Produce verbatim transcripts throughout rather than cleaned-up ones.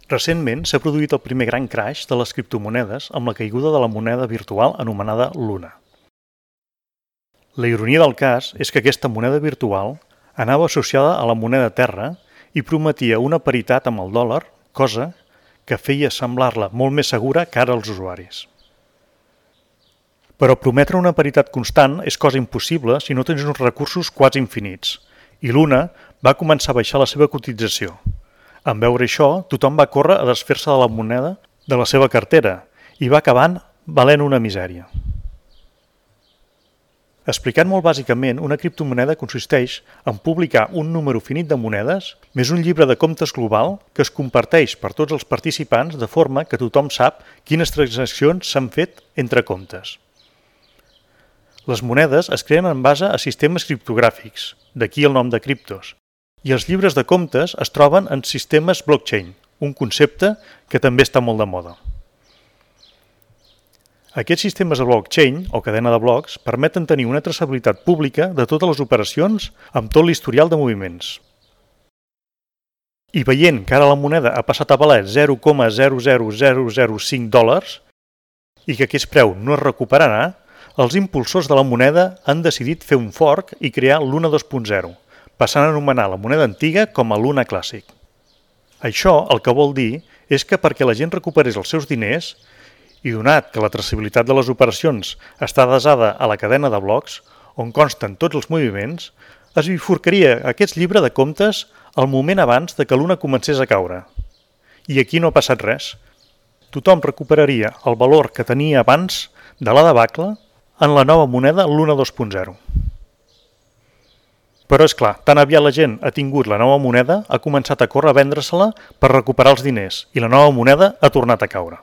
Recentment s'ha produït el primer gran crash de les criptomonedes amb la caiguda de la moneda virtual anomenada Luna. La ironia del cas és que aquesta moneda virtual anava associada a la moneda Terra i prometia una paritat amb el dòlar, cosa que feia semblar-la molt més segura cara als usuaris. Però prometre una paritat constant és cosa impossible si no tens uns recursos quasi infinits, i Luna va començar a baixar la seva cotització. En veure això, tothom va córrer a desfer-se de la moneda de la seva cartera i va acabant valent una misèria. Explicant molt bàsicament, una criptomoneda consisteix en publicar un número finit de monedes més un llibre de comptes global que es comparteix per tots els participants de forma que tothom sap quines transaccions s'han fet entre comptes. Les monedes es creen en base a sistemes criptogràfics, d'aquí el nom de criptos, i els llibres de comptes es troben en sistemes blockchain, un concepte que també està molt de moda. Aquests sistemes de blockchain, o cadena de blocs, permeten tenir una traçabilitat pública de totes les operacions amb tot l'historial de moviments. I veient que ara la moneda ha passat a valer zero coma zero zero zero zero cinc dòlars i que aquest preu no es recuperarà, els impulsors de la moneda han decidit fer un fork i crear Luna dos punt zero, passant a anomenar la moneda antiga com a Luna Classic. Això el que vol dir és que perquè la gent recuperés els seus diners, i donat que la traçabilitat de les operacions està basada a la cadena de blocs, on consten tots els moviments, es bifurcaria aquest llibre de comptes al moment abans de que Luna comencés a caure. I aquí no ha passat res. Tothom recuperaria el valor que tenia abans de la debacle en la nova moneda Luna dos punt zero. Però és clar, tan aviat la gent ha tingut la nova moneda, ha començat a córrer a vendre-se-la per recuperar els diners i la nova moneda ha tornat a caure.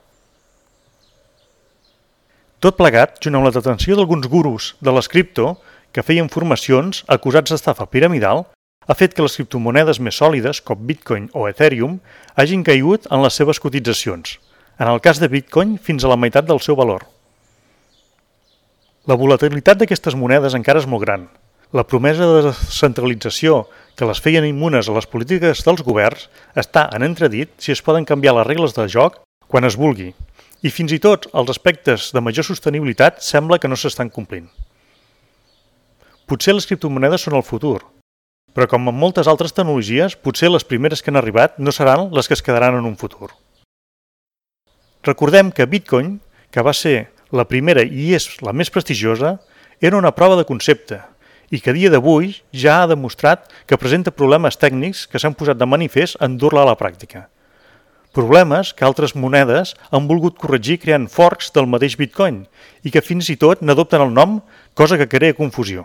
Tot plegat, junt amb la detenció d'alguns gurus de les cripto que feien formacions acusats d'estafa piramidal, ha fet que les criptomonedes més sòlides, com Bitcoin o Ethereum, hagin caigut en les seves cotitzacions, en el cas de Bitcoin fins a la meitat del seu valor. La volatilitat d'aquestes monedes encara és molt gran. La promesa de descentralització que les feien immunes a les polítiques dels governs està en entredit si es poden canviar les regles de joc quan es vulgui. I fins i tot els aspectes de major sostenibilitat sembla que no s'estan complint. Potser les criptomonedes són el futur, però com en moltes altres tecnologies, potser les primeres que han arribat no seran les que es quedaran en un futur. Recordem que Bitcoin, que va ser la primera i és la més prestigiosa, era una prova de concepte i que a dia d'avui ja ha demostrat que presenta problemes tècnics que s'han posat de manifest en dur-la a la pràctica. Problemes que altres monedes han volgut corregir creant forks del mateix Bitcoin i que fins i tot n'adopten el nom, cosa que crea confusió.